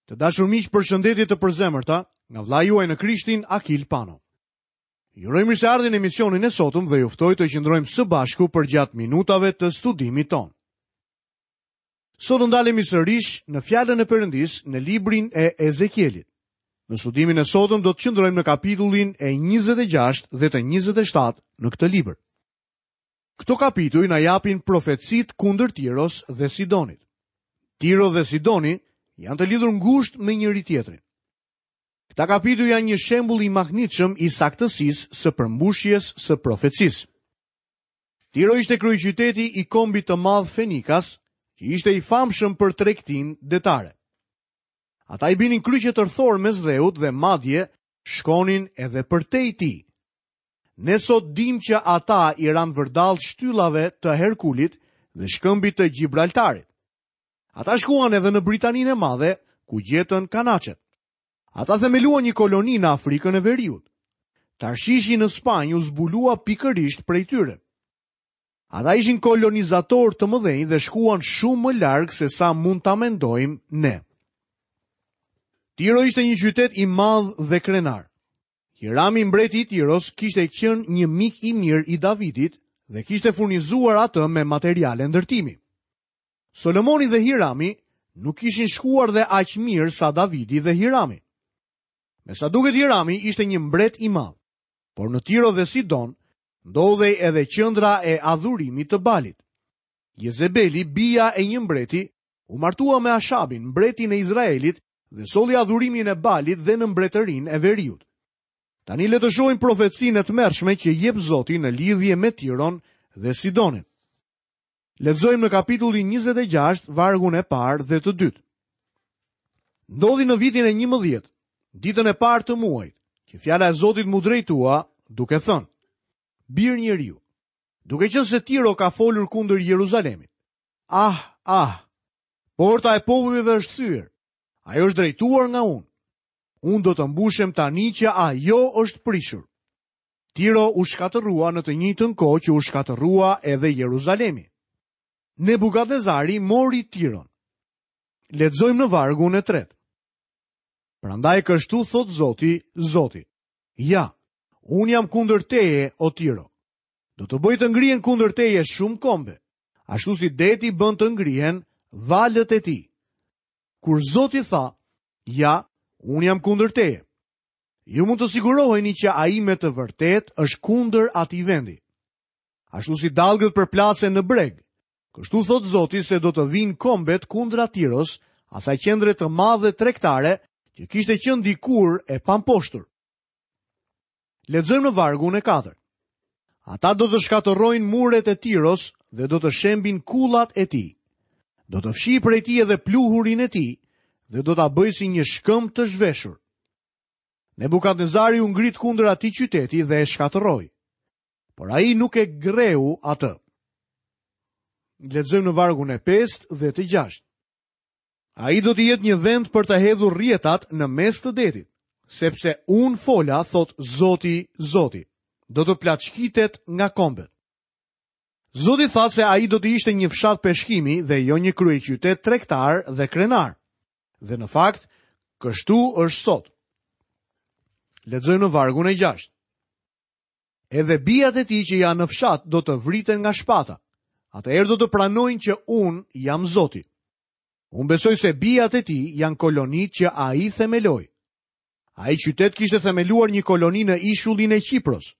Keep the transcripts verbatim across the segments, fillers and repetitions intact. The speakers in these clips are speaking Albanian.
Të dashur miq, përshëndetje të përzemërta nga vëllai juaj në Krishtin, Akil Pano. Ju uroj mirëseardhjen në emisionin e sotëm dhe ju ftoj të qëndrojmë së bashku përgjatë minutave të studimit tonë. Sot do ndalemi sërish në fjalën e Perëndisë në librin e Ezekielit. Në studimin e sotëm do të qëndrojmë në kapitullin e njëzet e gjashtë dhe të njëzet e shtatë në këtë libër. Këto kapituj na japin profecitë kundër Tiros dhe Sidonit. Tiro dhe Sidoni janë të lidhur ngushtë me njëri tjetrin. Këta kapituj janë një shembull i mahnitshëm i saktësisë së përmbushjes së profecisë. Tiro ishte kryeqyteti i kombit të madh Fenikas, që ishte i famshëm për tregtinë detare. Ata i binin kryqe tërthor mes dheut dhe madje shkonin edhe përtej tij. Ne sot dim që ata i ranë vërdall shtyllave të Herkulit dhe shkëmbit të Gjibraltarit. Ata shkuan edhe në Britaninë e Madhe, ku gjetën kanaçet. Ata themeluan një koloni në Afrikën e Veriut. Tarshishi në Spanjë u zbulua pikërisht prej tyre. Ata ishin kolonizatorë të mëdhenj dhe shkuan shumë më larg se sa mund ta mendojmë ne. Tiro ishte një qytet i madh dhe krenar. Hirami, mbreti i Tiros, kishte qenë një mik i mirë i Davidit dhe kishte furnizuar atë me materiale ndërtimi. Solomoni dhe Hirami nuk kishin shkuar dhe aq mirë sa Davidi dhe Hirami. Me sa duket Hirami ishte një mbret i madh, por në Tiro dhe Sidon ndodhej edhe qendra e adhurimit të Balit. Jezebeli, bija e një mbreti, u martua me Ashabin, mbretin e Izraelit, dhe solli adhurimin e Balit dhe në mbretërinë e Veriut. Tani le të shohim profecinë e tmerrshme që jep Zoti në lidhje me Tiron dhe Sidonin. Lexojmë në kapitullin njëzet e gjashtë, vargun e parë dhe të dytë. Ndodhi në vitin e njëmbëdhjetë, ditën e parë të muajit, që fjala e Zotit mu drejtua, duke thënë: Bir njeriu, duke qenë se Tiro ka folur kundër Jeruzalemit. Ah, ah, porta e popujve është thyer, ajo është drejtuar nga unë. Unë do të mbushem tani që ajo është prishur. Tiro u shkatërrua në të njëjtën kohë që u shkatërrua edhe Jeruzalemi. Nebukadnezari mori Tiron. Lexojmë në vargun e tretë. Prandaj kështu thot Zoti, Zoti: Ja, unë jam kundër teje, o Tiro. Do të bëj të ngrihen kundër teje shumë kombe, ashtu si deti bën të ngrihen valët e tij. Kur Zoti tha: Ja, unë jam kundër teje, ju mund të siguroheni që ai me të vërtetë është kundër atij vendi. Ashtu si dallgët përplasen në breg, kështu thot Zoti se do të vinë kombet kundra Tiros, asaj qendre të madhe tregtare që kishte qenë dikur e pamposhtur. Lexojmë në vargun e katërt. Ata do të shkatërrojnë muret e Tiros dhe do të shembin kullat e tij. Do të fshijë prej tij edhe pluhurin e tij dhe do ta bëjë si një shkëmb të zhveshur. Nebukadnezari u ngrit kundër atij qyteti dhe e shkatërroi, por ai nuk e greu atë. Lexojmë në vargun e pestë dhe të gjashtë. Ai do të jetë një vend për të hedhur rrjetat në mes të detit, sepse unë fola, thot Zoti, Zoti, do të plaçkitet nga kombet. Zoti tha se ai do të ishte një fshat peshkimi dhe jo një kryeqytet tregtar dhe krenar. Dhe në fakt, kështu është sot. Lexojmë në vargun e gjashtë. Edhe bijat e tij që janë në fshat do të vriten nga shpata. Atëherë do të pranojnë që unë jam Zoti. Unë besoj se bijat e tij janë kolonitë që ai themeloi. Ai qytet kishte themeluar një koloni në ishullin e Qipros.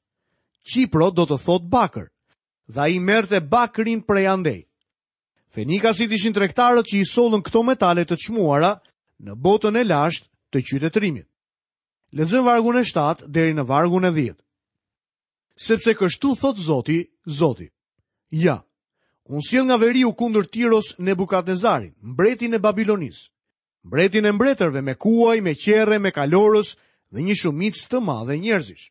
Qipro do të thotë bakër, dhe ai merrte bakrin prej andej. Fenikasit ishin tregtarët që i sollën këto metale të çmuara në botën e lashtë të qytetërimit. Lexojmë vargun e shtatë deri në vargun e dhjetë. Sepse kështu thot Zoti, Zoti: Ja, unë sjell nga veriu kundër Tiros Nebukadnezarin, mbretin e Babilonisë, mbretin e mbretërve me kuaj, me qerre, me kalorës dhe një shumicë të madhe njerëzish.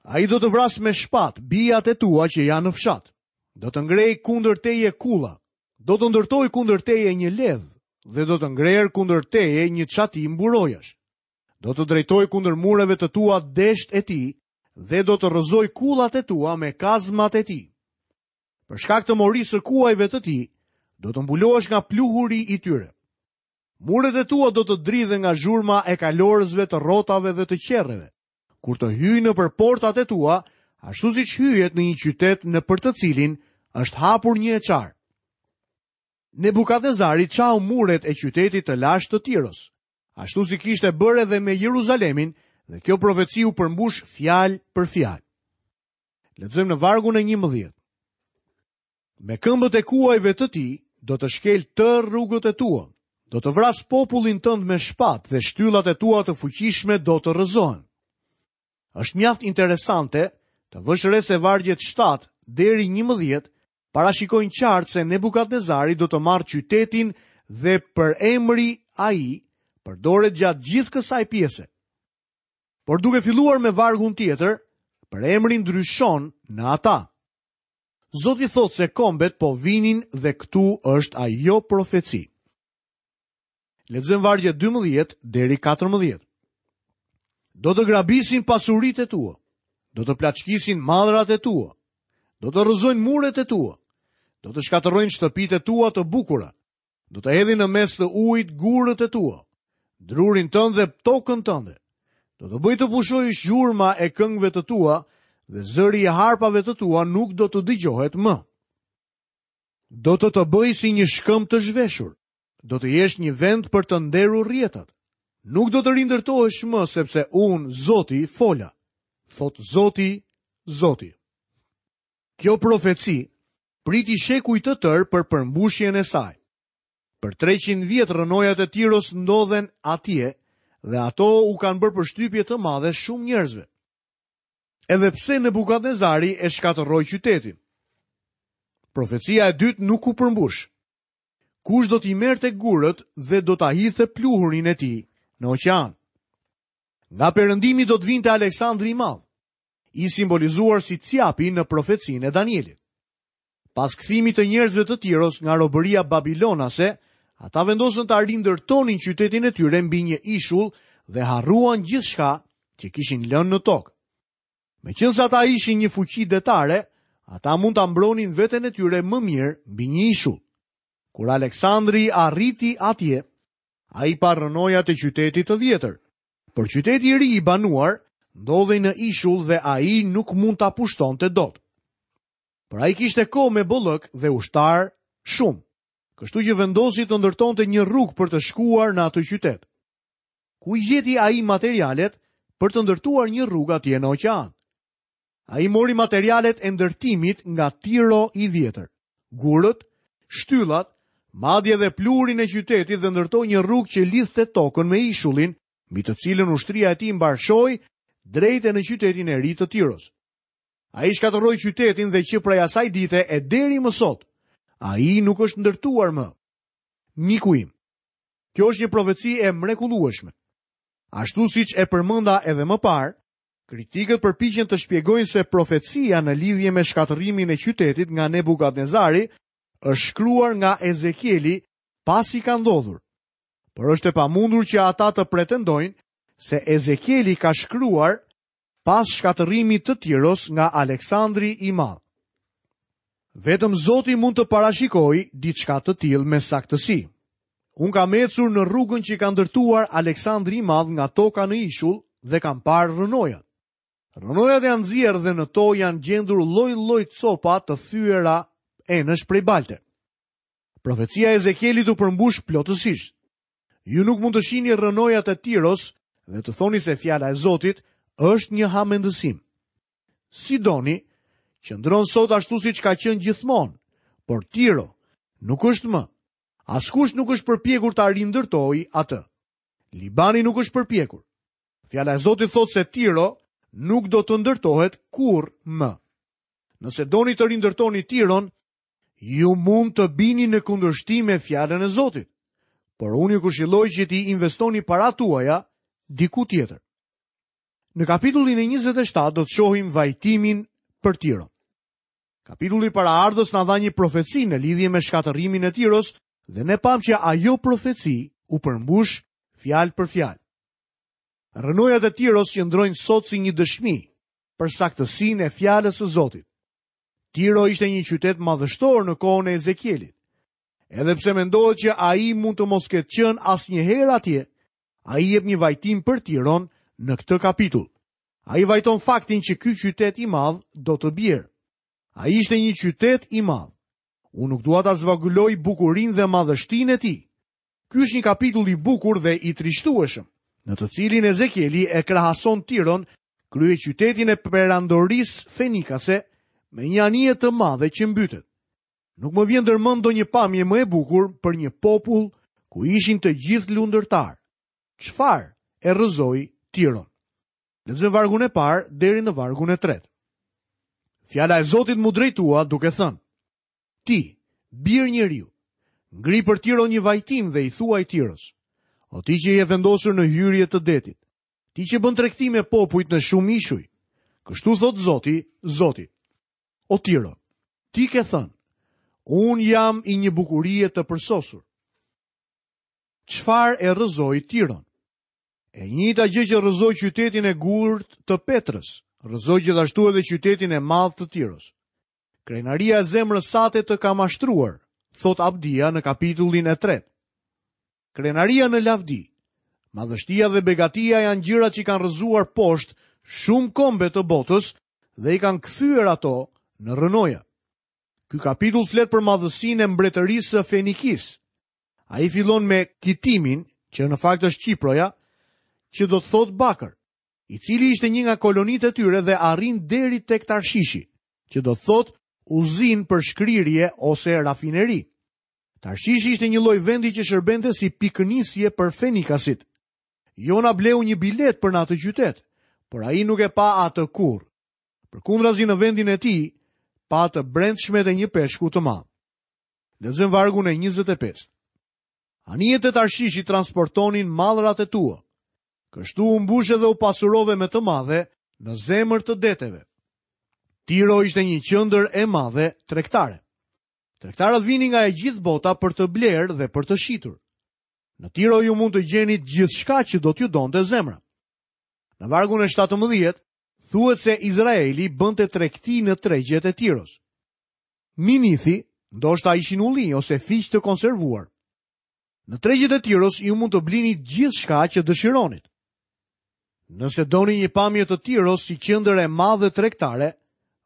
Ai do të vrasë me shpat bijat e tua që janë në fshat. Do të ngrejë kundër teje kulla, do të ndërtojë kundër teje një ledh dhe do të ngrejë kundër teje një çati mburojash. Do të drejtojë kundër mureve të tua desht e tij dhe do të rrëzojë kullat e tua me kazmat e tij. Për shkak të morisë së kuajve të tij, do të mbulohesh nga pluhuri i tyre. Muret e tua do të dridhen nga zhurma e kalorësve të rrotave dhe të qerreve. Kur të hyjnë nëpër portat e tua, ashtu siç hyhet në një qytet nëpër të cilin është hapur një e çarë. Nebukadnezari çau muret e qytetit të lashtë të Tiros, ashtu si kishte bërë edhe me Jeruzalemin, dhe kjo profeci u përmbush fjalë për fjalë. Lexojmë në vargun e njëmbëdhjetë. Me këmbët e kuajve të tij do të shkel tërë rrugët e tua, do të vras popullin tënd me shpatë dhe shtyllat e tua të fuqishme do të rrëzohen. Është mjaft interesante të vësh re se vargjet shtatë deri njëmbëdhjetë parashikojnë qartë se Nebukadnezari do të marrë qytetin dhe për emri ai përdoret gjatë gjithë kësaj pjese. Por duke filluar me vargun tjetër, për emri ndryshon në ata. Zoti thotë se kombet po vinin dhe këtu është ajo profeci. Lexojmë vargjet dymbëdhjetë deri katërmbëdhjetë. Do të grabisin pasuritë e tua, do të plaçkisin mallrat e tua, do të rrëzojnë muret e tua, do të shkatërrojnë shtëpitë e tua të bukura, do të hedhin në mes të ujit gurët e tua, drurin tënd dhe tokën tënde. Do të bëj të pushojë zhurma e këngëve të tua dhe zëri i harpave të tua nuk do të dëgjohet më. Do të të bëj si një shkëmb të zhveshur, do të jesh një vend për të nderur rrjetat. Nuk do të rindërtohesh më, sepse unë, Zoti, fola, thot Zoti, Zoti. Kjo profeci priti shekuj të tërë për përmbushjen e saj. Për treqind vjet rrënojat e Tiros ndodhen atje dhe ato u kanë bërë përshtypje të madhe shumë njerëzve. Edhe pse Nebukadnezari e shkatërroi qytetin. Profecia e dytë nuk u përmbush. Kush do t'i merrte gurët dhe do ta hidhte pluhurin e tij në oqean? Nga perëndimi do të vinte Aleksandri i Madh, i simbolizuar si cjapi në profecinë e Danielit. Pas kthimit të njerëzve të Tiros nga robëria babilonase, ata vendosën ta rindërtonin qytetin e tyre mbi një ishull dhe harruan gjithçka që kishin lënë në tokë. Meqense ata ishin një fuqi detare, ata mund ta mbronin veten e tyre më mirë mbi një ishull. Kur Aleksandri arriti atje, ai pa rrënojat e qytetit të vjetër, por qyteti i ri i banuar ndodhej në ishull dhe ai nuk mund ta pushtonte dot. Por ai kishte kohë me bollëk dhe ushtar shumë, kështu që vendosi të ndërtonte një rrugë për të shkuar në atë qytet. Ku i gjeti ai materialet për të ndërtuar një rrugë atje në oqean? Ai mori materialet e ndërtimit nga Tiro i vjetër, gurët, shtyllat, madje dhe pluhurin e qytetit dhe ndërtoi një rrugë që lidhte tokën me ishullin, mbi të cilën ushtria e tij mbarshoi drejt e në qytetin e ri të Tiros. Ai shkatërroi qytetin dhe që prej asaj dite e deri më sot, ai nuk është ndërtuar më. Miku im, kjo është një profeci e mrekullueshme. Ashtu siç e përmenda edhe më parë, kritikët përpiqen të shpjegojnë se profecia në lidhje me shkatërrimin e qytetit nga Nebukadnezari është shkruar nga Ezekieli pasi ka ndodhur. Por është e pamundur që ata të pretendojnë se Ezekieli ka shkruar pas shkatërrimit të Tiros nga Aleksandri i Madh. Vetëm Zoti mund të parashikojë diçka të tillë me saktësi. Unë kam ecur në rrugën që ka ndërtuar Aleksandri i Madh nga toka në ishull dhe kam parë rrënojat. Rrënojat janë nxjerrë dhe në to janë gjendur lloj-lloj copa të thyera enësh prej balte. Profecia e Ezekielit u përmbush plotësisht. Ju nuk mund të shihni rrënojat e Tiros dhe të thoni se fjala e Zotit është një hamendësim. Sidoni qëndron sot ashtu siç ka qenë gjithmonë, por Tiro nuk është më. Askush nuk është përpjekur ta rindërtojë atë. Libani nuk është përpjekur. Fjala e Zotit thotë se Tiro nuk do të ndërtohet kurrë më. Nëse doni të rindërtoni Tiron, ju mund të bini në kundërshtim me fjalën e Zotit. Por unë ju këshilloj që t'i investoni paratë tuaja diku tjetër. Në kapitullin e njëzet e shtatë do të shohim vajtimin për Tiron. Kapitulli paraardhës na dha një profeci në lidhje me shkatërrimin e Tiros dhe ne pam që ajo profeci u përmbush fjalë për fjalë. Rrënojat e Tiros qëndrojnë sot si një dëshmi për saktësinë e fjalës së Zotit. Tiro ishte një qytet madhështor në kohën e Ezekielit. Edhe pse mendohet që ai mund të mos ketë qenë asnjëherë atje, ai jep një vajtim për Tiron në këtë kapitull. Ai vajton faktin që ky qytet i madh do të bjerë. Ai ishte një qytet i madh. Unë nuk dua ta zvogëloj bukurinë dhe madhështinë e tij. Ky është një kapitull i bukur dhe i trishtueshëm, në të cilin Ezekieli e krahason Tiron, kryeqytetin e perandorisë fenikase, me një anije të madhe që mbytet. Nuk më vjen ndërmend ndonjë pamje më e bukur për një popull ku ishin të gjithë lundërtar. Çfarë e rrëzoi Tiron? Lexojmë vargun e parë deri në vargun e tretë. Fjala e Zotit mu drejtua duke thënë: Ti, bir njeriu, ngri për Tiron një vajtim dhe i thuaj Tiros: O ti që je vendosur në hyrje të detit, ti që bën tregti me popujt në shumë ishuj, kështu thot Zoti, Zoti. O Tiro, ti ke thënë: Unë jam i një bukurie të përsosur. Çfarë e rrëzoi Tiron? E njëjta gjë që rrëzoi qytetin e gurt të Petrës, rrëzoi gjithashtu edhe qytetin e madh të Tiros. Krenaria e zemrës sate të ka mashtruar, thot Abdia në kapitullin e tretë. Krenaria në lavdi, madhështia dhe begatia janë gjërat që kanë rrëzuar poshtë shumë kombe të botës dhe i kanë kthyer ato në rrënoja. Ky kapitull flet për madhësinë e mbretërisë së Fenikisë. Ai fillon me Kitimin, që në fakt është Qiproja, që do të thotë bakër, i cili ishte një nga kolonitë e tyre dhe arrin deri tek Tarshishi, që do të thotë uzin për shkrirje ose rafineri. Tarshishi ishte një lloj vendi që shërbente si pikënisje për fenikasit. Jona bleu një bilet për në atë qytet, por ai nuk e pa atë kurrë. Përkundrazi në vendin e tij, pa të brendshmet e një peshku të madh. Lexojmë vargun e njëzet e pesë. Anijet e Tarshishit transportonin mallrat e tua. Kështu u mbushe dhe u pasurove me të madhe në zemër të deteve. Tiro ishte një qendër e madhe tregtare. Tregtarët vinin nga e gjithë bota për të blerë dhe për të shitur. Në Tiro ju mund të gjeni gjithçka që do t'ju donte zemra. Në vargun e shtatëmbëdhjetë thuhet se Izraeli bënte tregti në tregjet e Tiros. Minithi ndoshta ishin ullinj ose fiq të konservuar. Në tregjet e Tiros ju mund të blini gjithçka që dëshironit. Nëse doni një pamje të Tiros si qendër e madhe tregtare,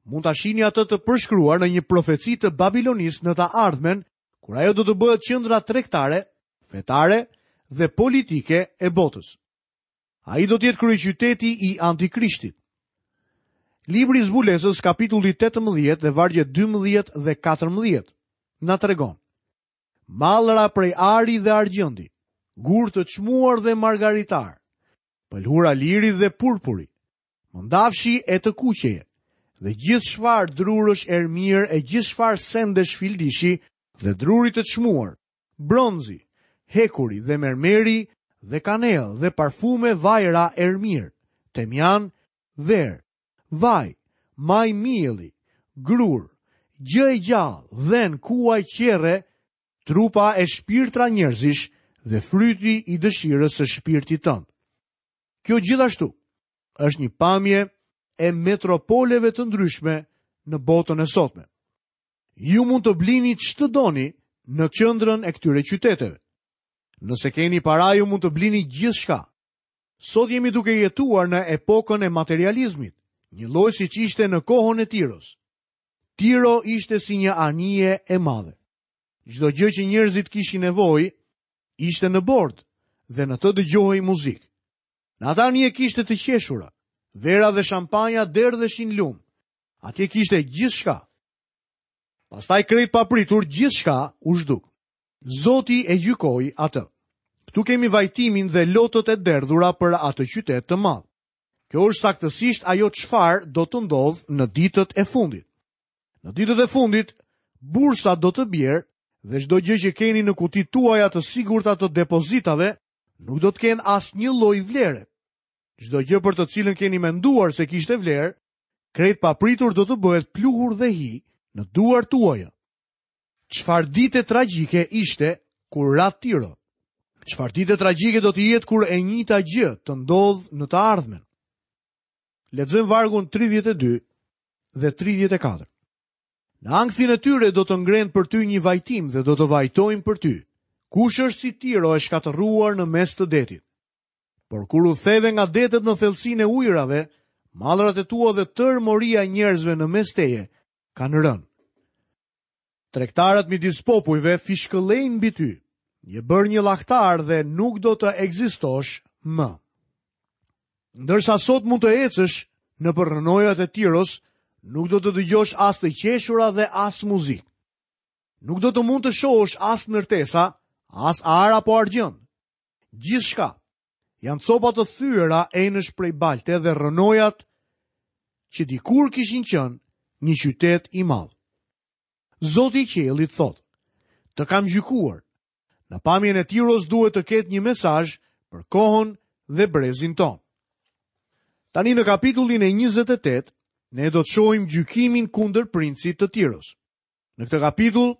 mund ta shihni atë të përshkruar në një profeci të Babilonisë në të ardhmen, kur ajo do të bëhet qendra tregtare, fetare dhe politike e botës. Ai do të jetë kryeqyteti i Antikrishtit. Libri i Zbulesës, kapitulli tetëmbëdhjetë dhe vargjet dymbëdhjetë dhe katërmbëdhjetë, na tregon: Mallra prej ari dhe argjendi, gur të çmuar dhe margaritar, pëlhura liri dhe purpuri, mëndafshi e të kuqeje, dhe gjithë çfarë drurësh ermirë e gjithë çfarë sendesh fildishi dhe druri të çmuar, bronzi, hekuri dhe mermeri dhe kanell dhe parfume vajra ermirë, temjan, verë, vaj, maj mielli, grur, gjë e gjallë, dhen, kuaj, qerre, trupa e shpirtra njerëzish dhe fryti i dëshirës së shpirtit tënd. Kjo gjithashtu është një pamje e metropoleve të ndryshme në botën e sotme. Ju mund të blini ç'të doni në qendrën e këtyre qyteteve. Nëse keni para, ju mund të blini gjithçka. Sot jemi duke jetuar në epokën e materializmit, një lloj siç ishte në kohën e Tiros. Tiro ishte si një anije e madhe. Çdo gjë që njerëzit kishin nevojë ishte në bord dhe në të dëgjohej muzikë. Në atë anije kishte të qeshura, vera dhe shampanja derdheshin lum. Atje kishte gjithçka. Pastaj krejt papritur gjithçka u zhduk. Zoti e gjykoi atë. Këtu kemi vajtimin dhe lotët e derdhura për atë qytet të madh. Kjo është saktësisht ajo çfarë do të ndodhë në ditët e fundit. Në ditët e fundit, bursa do të bjerë dhe çdo gjë që keni në kutitë tuaja të sigurta të depozitave nuk do të kenë asnjë lloj vlere. Çdo gjë për të cilën keni menduar se kishte vlerë, krejt papritur do të bëhet pluhur dhe hi në duart tuaja. Çfarë dite tragjike ishte kur ra Tiro? Çfarë dite tragjike do të jetë kur e njëjta gjë të ndodhë në të ardhmen? Lexojmë vargun tridhjetë e dy dhe tridhjetë e katër. Në ankthin e tyre do të ngrenë për ty një vajtim dhe do të vajtojnë për ty. Kush është si Tiro e shkatërruar në mes të detit? Por kur u theve nga detet në thellësinë e ujërave, mallrat e tua dhe tërë moria e njerëzve në mes teje kanë rënë. Tregtarët midis popujve fishkëllejnë mbi ty. Je bërë një llahtar dhe nuk do të ekzistosh më. Ndërsa sot mund të ecësh nëpër rrënojat e Tiros, nuk do të dëgjosh as të qeshura dhe as muzikë. Nuk do të mund të shohësh as ndërtesa, as ar apo argjend. Gjithçka janë copa të thyera enësh prej balte dhe rrënojat që dikur kishin qenë një qytet i madh. Zoti i qiellit thotë: Të kam gjykuar. Në pamjen e Tiros duhet të ketë një mesazh për kohën dhe brezin tonë. Tani në kapitullin e njëzet e tetë, ne do të shohim gjykimin kundër princit të Tiros. Në këtë kapitull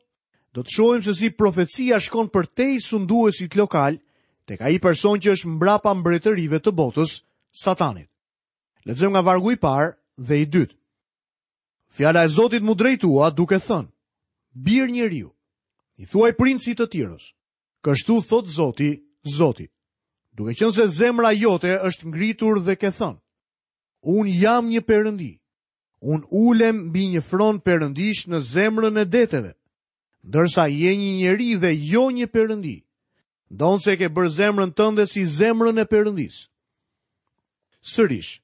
do të shohim se si profecia shkon përtej sunduesit lokal tek ai person që është mbrapa mbretërive të botës, Satanit. Lexojmë nga vargu i parë dhe i dytë. Fjala e Zotit mu drejtua duke thënë: Bir njeriu, i thuaj princit të Tiros, kështu thot Zoti, Zoti, duke qenë se zemra jote është ngritur dhe ke thënë: Unë jam një perëndi, unë ulem mbi një fron perëndish në zemrën e deteve, ndërsa je një njeri dhe jo një perëndi, ndonse ke bërë zemrën tënde si zemrën e perëndis. Sërish,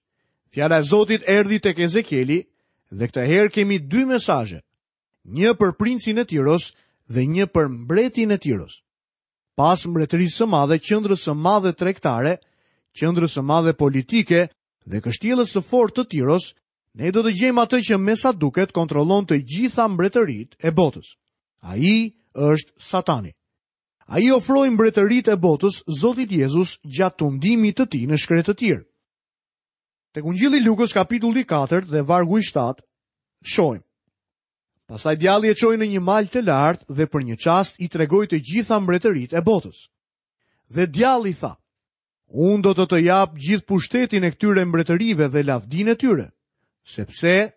fjala e Zotit erdhi tek Ezekieli dhe këtë herë kemi dy mesazhe, një për princin e Tiros dhe një për mbretin e Tiros. Pas mbretërisë së madhe, qendrës së madhe tregtare, qendrës së madhe politike dhe kështjellës së fortë të Tiros, ne do të gjejmë atë që me sa duket kontrollon të gjitha mbretëritë e botës. Ai është Satani. Ai ofroi mbretëritë e botës Zotit Jezus gjatë tundimit të tij në shkretëtirë. Tek Ungjilli Lukës kapitulli katër dhe vargu i shtatë, shohim: Pastaj djalli e çoi në një mal të lartë dhe për një çast i tregoi të gjitha mbretëritë e botës. Dhe djalli tha: Unë do të të jap gjithë pushtetin e këtyre mbretërive dhe lavdinë e tyre, sepse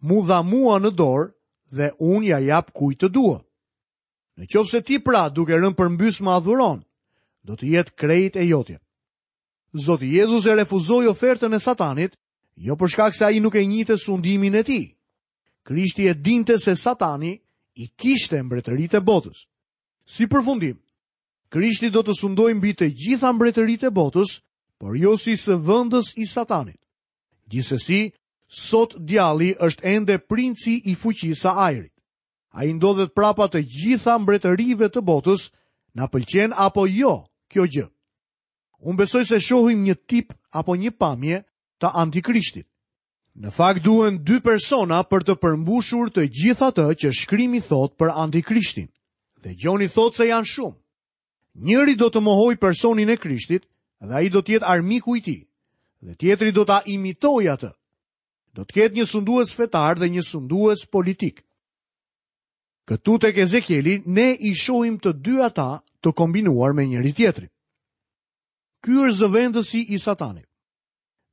mu dha mua në dorë dhe unë ja jap kujt të dua. Në qoftë se ti pra duke rënë përmbys më adhuron, do të jetë krejt e jotja. Zoti Jezus e refuzoi ofertën e Satanit, jo për shkak se ai nuk e njihte sundimin e tij. Krishti e dinte se Satani i kishte mbretëritë e botës. Si përfundim, Krishti do të sundojë mbi të gjitha mbretëritë e botës, por jo si sëvendës i Satanit. Gjithsesi, sot djalli është ende princi i fuqisë së ajrit. Ai ndodhet prapa të gjitha mbretërive të botës, na pëlqen apo jo kjo gjë. Unë besoj se shohim një tip apo një pamje të antikrishtit. Në fakt duhen dy persona për të përmbushur të gjithë atë që shkrimi thot për antikrishtin. Dhe Gjoni thot se janë shumë. Njëri do të mohojë personin e Krishtit dhe ai do të jetë armiku i tij, dhe tjetri do ta imitojë atë. Do të ketë një sundues fetar dhe një sundues politik. Këtu tek Ezekieli ne i shohim të dy ata të kombinuar me njëri tjetrin. Ky është zëvendësi i Satanit.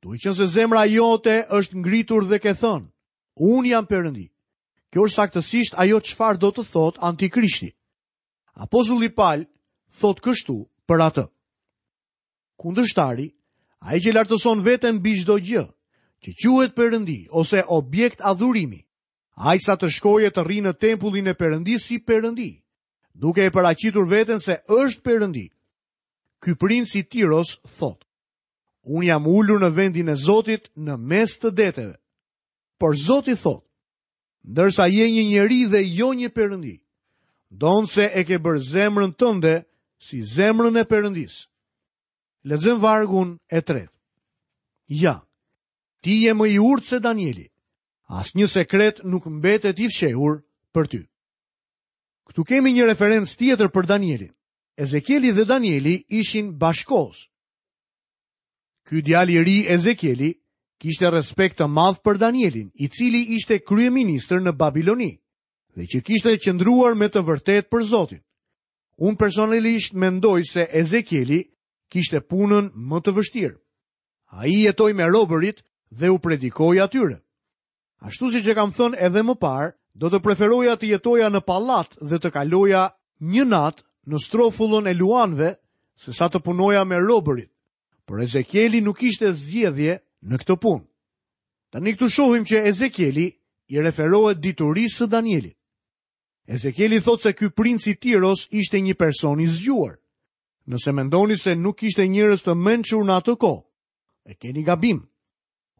Duke qenë se zemra jote është ngritur dhe ke thënë: Unë jam Perëndi. Kjo është saktësisht ajo çfarë do të thotë antikrishti. Apostulli Paul thot kështu për atë: Kundërshtari, ai që lartëson veten mbi çdo gjë, që quhet Perëndi ose objekt adhurimi, ai sa të shkojë të rrinë në tempullin e Perëndisë si Perëndi, duke e paraqitur veten se është Perëndi. Ky princ i Tiros thot: Unë jam ulur në vendin e Zotit në mes të deteve. Por Zoti thot: Ndërsa je një njeri dhe jo një perëndi, ndonse e ke bërë zemrën tënde si zemrën e Perëndisë. Lexojmë vargun e tretë. Ja, ti je më i urtë se Danieli. Asnjë sekret nuk mbetet i fshehur për ty. Këtu kemi një referencë tjetër për Danielin. Ezekieli dhe Danieli ishin bashkohës. Ky djalë i ri Ezekieli kishte respekt të madh për Danielin, i cili ishte kryeministër në Babiloni dhe që kishte qëndruar me të vërtetë për Zotin. Unë personalisht mendoj se Ezekieli kishte punën më të vështirë. Ai jetoi me robërit dhe u predikoi atyre. Ashtu siç e kam thënë edhe më parë, Do të preferoja të jetoja në pallat dhe të kaloja një natë në strofullën e luanëve, se sa të punoja me robërit. Por Ezekieli nuk kishte zgjedhje në këtë punë. Tani këtu shohim që Ezekieli i referohet diturisë së Danielit. Ezekieli thotë se ky princ i Tiros ishte një person i zgjuar. Nëse mendoni se nuk kishte njerëz të mençur në atë kohë, e keni gabim.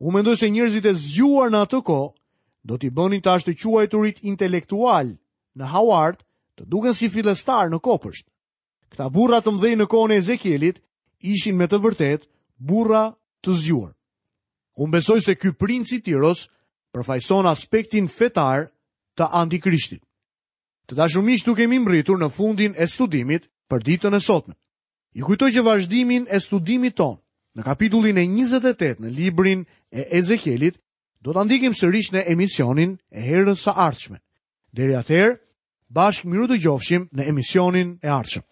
Unë mendoj se njerëzit e zgjuar në atë kohë do t'i bënin të ashtuquajturit intelektual në Howard të duken si fillestar në kopësht. Këta burra të mëdhenj në kohën e Ezekielit ishin me të vërtetë burra të zgjuar. Unë besoj se ky princ i Tiros përfaqëson aspektin fetar të antikrishtit. Të dashur miq, këtu kemi mbërritur në fundin e studimit për ditën e sotme. Ju kujtoj që vazhdimin e studimit tonë në kapitullin e njëzet e tetë në librin e Ezekielit do ta ndjekim sërish në emisionin e herës së ardhshme. Deri atëherë, bashkë mirudëgjofshim në emisionin e ardhshëm.